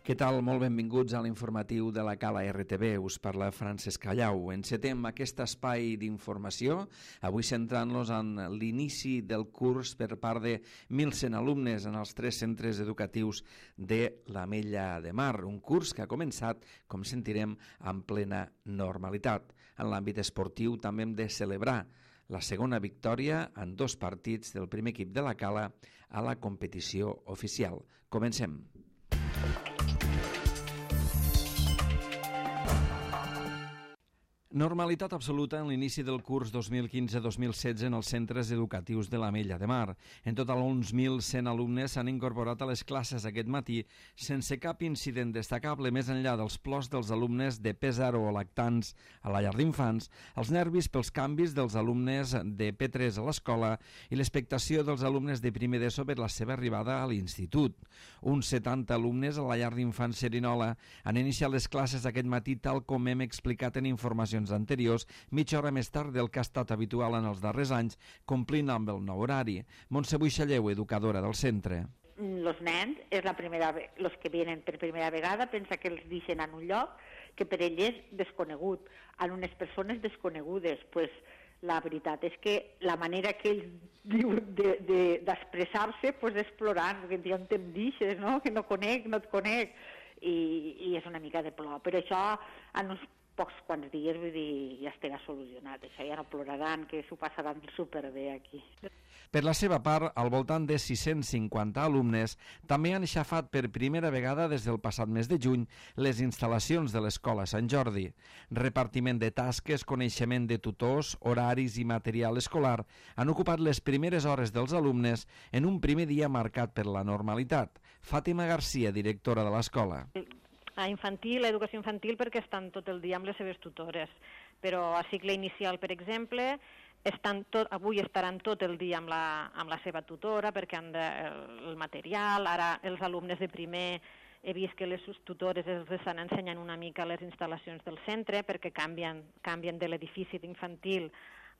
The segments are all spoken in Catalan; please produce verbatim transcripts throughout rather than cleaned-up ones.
Què tal? Molt benvinguts a l'informatiu de la Cala R T B. Us parla Francesc Callau. Encetem aquest espai d'informació, avui centrant-nos en l'inici del curs per part de mil cent alumnes en els tres centres educatius de l'Ametlla de Mar. Un curs que ha començat, com sentirem, en plena normalitat. En l'àmbit esportiu també hem de celebrar la segona victòria en dos partits del primer equip de la Cala a la competició oficial. Comencem. Normalitat absoluta en l'inici del curs dos mil quinze dos mil setze en els centres educatius de l'Ametlla de Mar. En total, uns mil cent alumnes s'han incorporat a les classes aquest matí sense cap incident destacable més enllà dels plors dels alumnes de P zero o lactants a la llar d'infants, els nervis pels canvis dels alumnes de P tres a l'escola i l'expectació dels alumnes de primer d'ESO per la seva arribada a l'institut. Uns setanta alumnes a la llar d'infants Cerinola han iniciat les classes aquest matí tal com hem explicat en informacions anteriors, mitja hora més tard del que ha estat habitual en els darrers anys, complint amb el nou horari. Montse Buixalleu, educadora del centre. Los nens, és la primera, los que vienen per primera vegada, pensa que els deixen en un lloc que per ells és desconegut, en unes persones desconegudes. Pues, la veritat és que la manera que ells diuen d'expressar-se de, de, pues, és plorant, perquè diuen, te'm deixes, no? Que no conec, no et conec, i, i és una mica de plor. Per això, en uns pocs quants dies, vull dir, ja estarà solucionat. Això ja no ploraran, que s'ho passaran superbé aquí. Per la seva part, al voltant de sis-cents cinquanta alumnes també han aixafat per primera vegada des del passat mes de juny les instal·lacions de l'Escola Sant Jordi. Repartiment de tasques, coneixement de tutors, horaris i material escolar han ocupat les primeres hores dels alumnes en un primer dia marcat per la normalitat. Fàtima Garcia, directora de l'escola. A infantil, a educació infantil, perquè estan tot el dia amb les seves tutores, però a cicle inicial, per exemple, estan tot, avui estaran tot el dia amb la, amb la seva tutora perquè han de, el, el material. Ara els alumnes de primer he vist que les tutores els estan ensenyant una mica les instal·lacions del centre perquè canvien, canvien de l'edifici d'infantil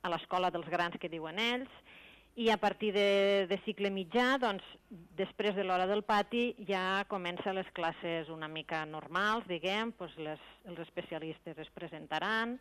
a l'escola dels grans que diuen ells. I a partir de, de cicle mitjà, doncs, després de l'hora del pati, ja comencen les classes una mica normals, diguem, doncs les, els especialistes es presentaran.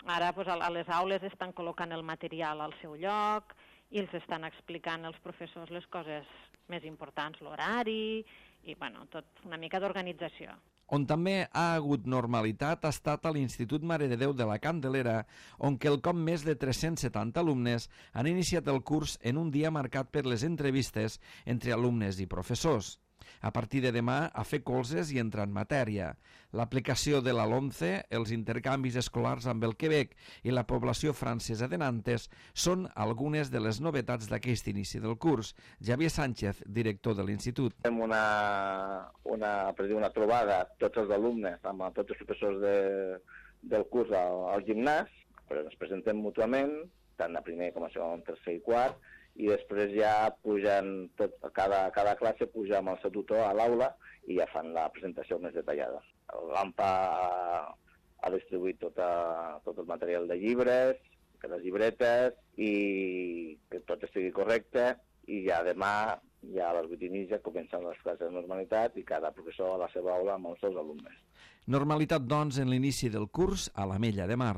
Ara doncs, a les aules estan col·locant el material al seu lloc i els estan explicant als professors les coses més importants, l'horari i, bueno, tot una mica d'organització. On també ha hagut normalitat ha estat a l'Institut Mare de Déu de la Candelera, on quelcom més de tres-cents setanta alumnes han iniciat el curs en un dia marcat per les entrevistes entre alumnes i professors. A partir de demà, a fer colzes i entrar en matèria. L'aplicació de la LOMCE, els intercanvis escolars amb el Quebec i la població francesa de Nantes són algunes de les novetats d'aquest inici del curs. Javier Sánchez, director de l'institut. Fem una, una, per dir, una trobada tots els alumnes amb tots els professors de, del curs al, al gimnàs, però ens presentem mútuament, tant a primer com a segon, tercer i quart, i després ja pugen, tot, cada, cada classe puja amb el seu tutor a l'aula i ja fan la presentació més detallada. L'AMPA ha, ha distribuït tota, tot el material de llibres, les llibretes, i que tot estigui correcte, i ja demà, ja a les vuit i mitja, comencen les classes de normalitat i cada professor a la seva aula amb els seus alumnes. Normalitat, doncs, en l'inici del curs a l'Ametlla de Mar.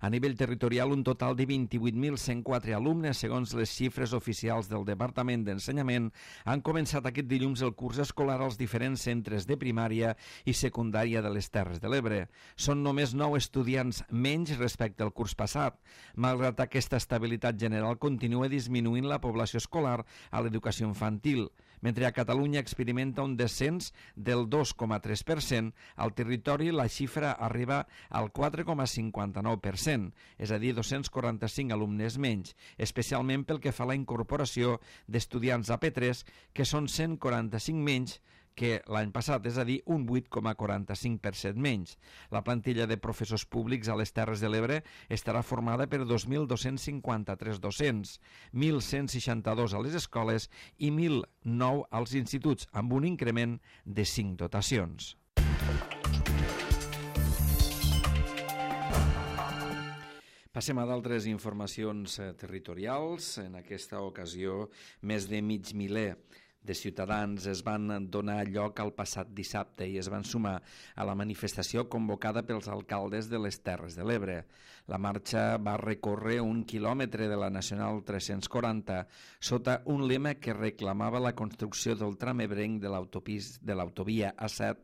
A nivell territorial, un total de vint-i-vuit mil cent quatre alumnes, segons les xifres oficials del Departament d'Ensenyament, han començat aquest dilluns el curs escolar als diferents centres de primària i secundària de les Terres de l'Ebre. Són només nou estudiants menys respecte al curs passat. Malgrat aquesta estabilitat general, continua disminuint la població escolar a l'educació infantil. Mentre a Catalunya experimenta un descens del dos coma tres per cent, al territori la xifra arriba al quatre coma cinquanta-nou per cent, és a dir, dos-cents quaranta-cinc alumnes menys, especialment pel que fa a la incorporació d'estudiants a P tres, que són cent quaranta-cinc menys que l'any passat, és a dir, un vuit coma quaranta-cinc per cent menys. La plantilla de professors públics a les Terres de l'Ebre estarà formada per dos mil dos-cents cinquanta-tres docents, mil cent seixanta-dos a les escoles i mil nou als instituts, amb un increment de cinc dotacions. Passem a d'altres informacions territorials. En aquesta ocasió, més de mig miler de ciutadans es van donar lloc al passat dissabte i es van sumar a la manifestació convocada pels alcaldes de les Terres de l'Ebre. La marxa va recórrer un quilòmetre de la Nacional tres-cents quaranta sota un lema que reclamava la construcció del tram ebrenc de l'autovia A set,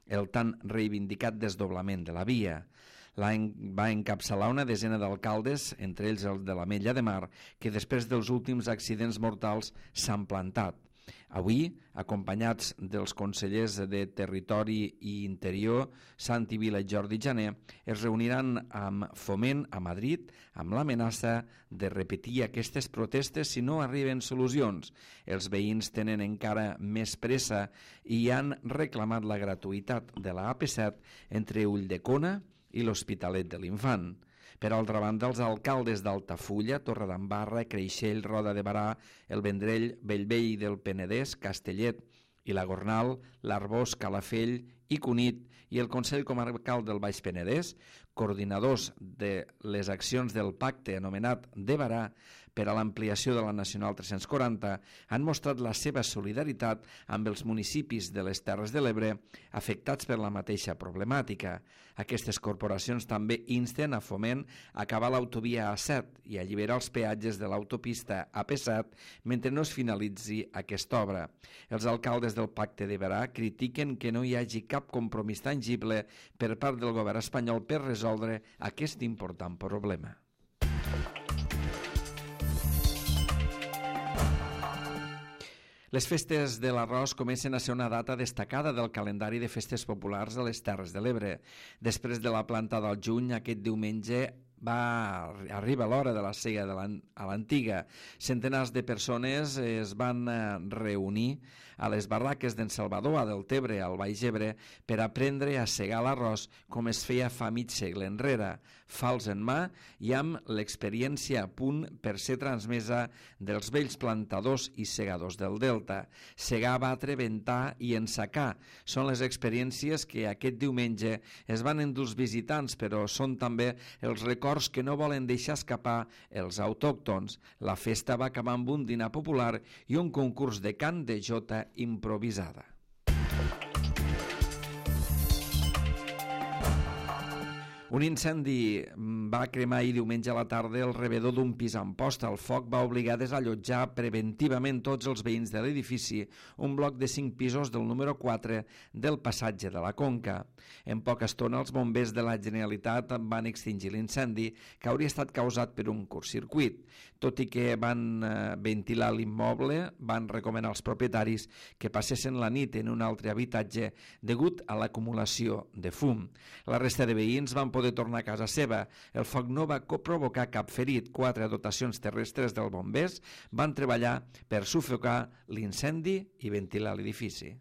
el tan reivindicat desdoblament de la via. L'any va encapçalar una desena d'alcaldes, entre ells el de l'Ametlla de Mar, que després dels últims accidents mortals s'han plantat. Avui, acompanyats dels consellers de Territori i Interior, Santi Vila i Jordi Jané, es reuniran amb Foment a Madrid amb l'amenaça de repetir aquestes protestes si no arriben solucions. Els veïns tenen encara més pressa i han reclamat la gratuïtat de la A P set entre Ulldecona i l'Hospitalet de l'Infant. Per altra banda, els alcaldes d'Altafulla, Torredembarra, Creixell, Roda de Barà, el Vendrell, Bellvei del Penedès, Castellet i la Gornal, l'Arboç, Calafell i Cunit i el Consell Comarcal del Baix Penedès, coordinadors de les accions del pacte anomenat de Barà per a l'ampliació de la Nacional tres-cents quaranta, han mostrat la seva solidaritat amb els municipis de les Terres de l'Ebre afectats per la mateixa problemàtica. Aquestes corporacions també insten a Foment a acabar l'autovia A set i alliberar els peatges de l'autopista A P set mentre no es finalitzi aquesta obra. Els alcaldes del pacte de Barà critiquen que no hi hagi cap compromís tangible per part del govern espanyol per resoldre aquest important problema. Les festes de l'arròs comencen a ser una data destacada del calendari de festes populars a les Terres de l'Ebre. Després de la plantada al juny, aquest diumenge va arriba l'hora de la sega de a l'antiga. Centenars de persones es van reunir a les barraques d'en Salvador, a Deltebre, al Baix Ebre, per aprendre a segar l'arròs com es feia fa mig segle enrere, fals en mà i amb l'experiència a punt per ser transmesa dels vells plantadors i segadors del Delta. Segar, batre, ventar i ensacar són les experiències que aquest diumenge es van endur els visitants, però són també els records que no volen deixar escapar els autòctons. La festa va acabar amb un dinar popular i un concurs de cant de jota improvisada. Un incendi va cremar ahir diumenge a la tarda el rebedor d'un pis a Amposta. El foc va obligar a desallotjar preventivament tots els veïns de l'edifici, un bloc de cinc pisos del número quatre del passatge de la Conca. En poca estona, els bombers de la Generalitat van extingir l'incendi, que hauria estat causat per un curtcircuit. Tot i que van ventilar l'immoble, van recomanar als propietaris que passessin la nit en un altre habitatge degut a l'acumulació de fum. La resta de veïns van poder tornar a casa seva. El foc no va provocar cap ferit. Quatre dotacions terrestres dels bombers van treballar per sufocar l'incendi i ventilar l'edifici.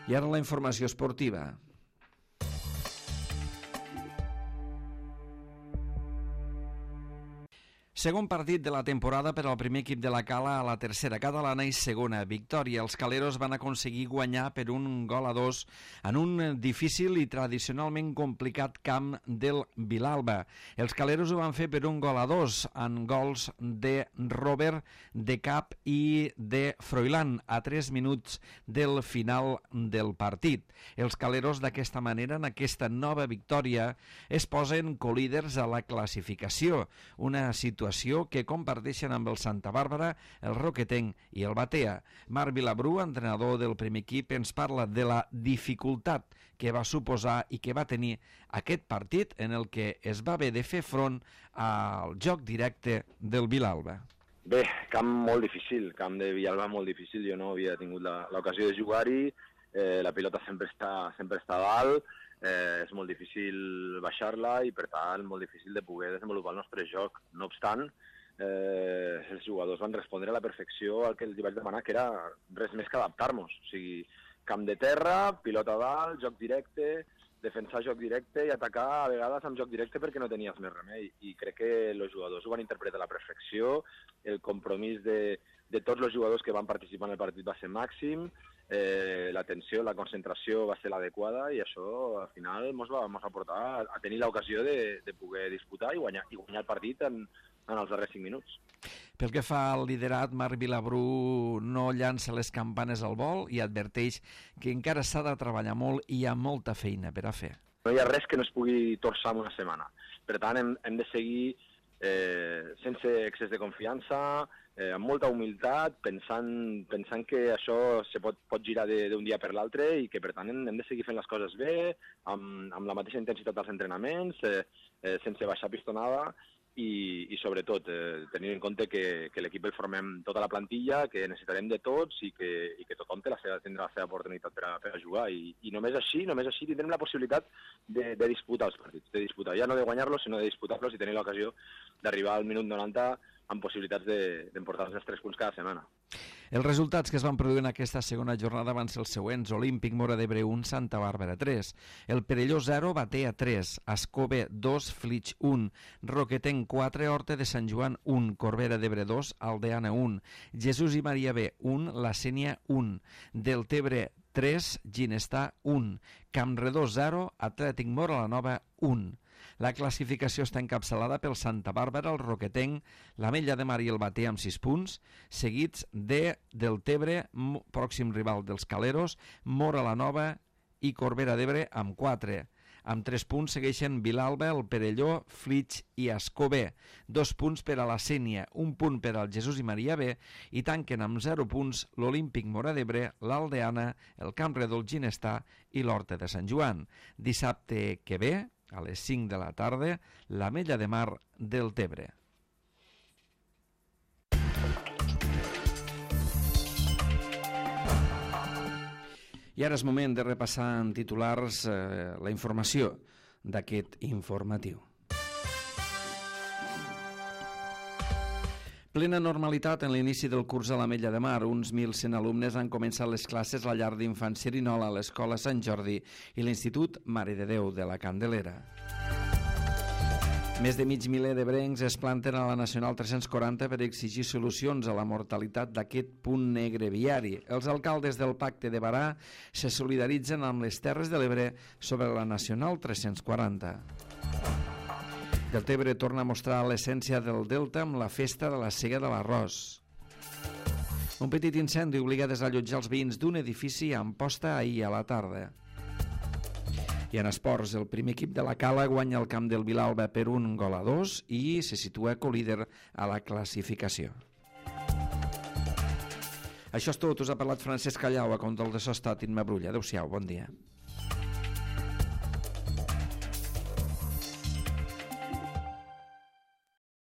I ara la informació esportiva. Segon partit de la temporada per al primer equip de la Cala a la tercera catalana i segona victòria. Els caleros van aconseguir guanyar per un gol a dos en un difícil i tradicionalment complicat camp del Vilalba. Els caleros ho van fer per un gol a dos en gols de Robert, de Cap i de Froilán a tres minuts del final del partit. Els caleros d'aquesta manera, en aquesta nova victòria, es posen colíders a la classificació, una situació que comparteixen amb el Santa Bàrbara, el Roquetenc i el Batea. Marc Vilabrú, entrenador del primer equip, ens parla de la dificultat que va suposar i que va tenir aquest partit en el que es va haver de fer front al joc directe del Vilalba. Bé, camp molt difícil, camp de Villalba molt difícil. Jo no havia tingut l'ocasió de jugar-hi, eh, la pilota sempre està, sempre està a dalt, Eh, és molt difícil baixar-la i, per tant, molt difícil de poder desenvolupar el nostre joc. No obstant, eh, els jugadors van respondre a la perfecció al que els vaig demanar, que era res més que adaptar-nos. O sigui, camp de terra, pilota a dalt, joc directe, defensar joc directe i atacar a vegades amb joc directe perquè no tenies més remei. I crec que els jugadors ho van interpretar a la perfecció, el compromís de, de tots els jugadors que van participar en el partit va ser màxim, Eh, l'atenció, la concentració va ser l'adequada i això al final ens va, va portar a tenir l'ocasió de, de poder disputar i guanyar, i guanyar el partit en, en els darrers cinc minuts. Pel que fa al liderat, Marc Vilabrú no llança les campanes al vol i adverteix que encara s'ha de treballar molt i hi ha molta feina per a fer. No hi ha res que no es pugui torçar en una setmana. Per tant, hem, hem de seguir eh, sense excés de confiança, eh, amb molta humilitat, pensant, pensant que això se pot, pot girar d'un dia per l'altre i que, per tant, hem, hem de seguir fent les coses bé, amb, amb la mateixa intensitat dels entrenaments, eh, eh, sense baixar pistonada, i, i sobretot eh, tenint en compte que, que l'equip el formem tota la plantilla, que necessitarem de tots i que, i que tothom té la seva, tindrà la seva oportunitat per a, per a jugar i, i només així, només així tindrem la possibilitat de, de disputar els partits, de disputar, ja no de guanyar-los sinó de disputar-los i tenir l'ocasió d'arribar al minut noranta amb possibilitats d'emportar-nos els tres punts cada setmana. Els resultats que es van produir en aquesta segona jornada van ser els següents: Olímpic Móra d'Ebre un, Santa Bàrbara tres, el Perelló zero, Batea tres, Ascove dos, Flix un, Roquetenc quatre, Horta de Sant Joan un, Corbera d'Ebre dos, Aldeana un, Jesús i Maria B un, La Sénia un, Deltebre tres, Ginestar un, Campredó zero, Atlètic Móra la Nova un. La classificació està encapçalada pel Santa Bàrbara, el Roquetenc, l'Ametlla de Mar i el Batea amb sis punts, seguits de Deltebre, pròxim rival dels Caleros, Móra la Nova i Corbera d'Ebre amb quatre. Amb tres punts segueixen Vilalba, el Perelló, Flix i Ascové. Dos punts per a la Sénia, un punt per al Jesús i Maria B i tanquen amb zero punts l'Olímpic Móra d'Ebre, l'Aldeana, el Campredó, el Ginestar i l'Horta de Sant Joan. Dissabte que ve, a les cinc de la tarda, l'Ametlla de Mar del Tebre. I ara és moment de repassar en titulars eh, la informació d'aquest informatiu. Plena normalitat en l'inici del curs a l'Ametlla de Mar. Uns mil cent alumnes han començat les classes a la llar d'infant Cerinola, a l'Escola Sant Jordi i l'Institut Mare de Déu de la Candelera. Més de mig miler d'ebrencs es planten a la Nacional tres-cents quaranta per exigir solucions a la mortalitat d'aquest punt negre viari. Els alcaldes del Pacte de Barà se solidaritzen amb les Terres de l'Ebre sobre la Nacional tres-cents quaranta. Deltebre torna a mostrar l'essència del Delta amb la festa de la Sega de l'Arròs. Un petit incendi obliga a desallotjar els veïns d'un edifici a Amposta ahir a la tarda. I en esports, el primer equip de la Cala guanya el camp del Vilalba per un gol a dos i se situa colíder a la classificació. Això és tot. Us ha parlat Francesc Callau, a control de so estat Imma Brulla. Adéu-siau, bon dia.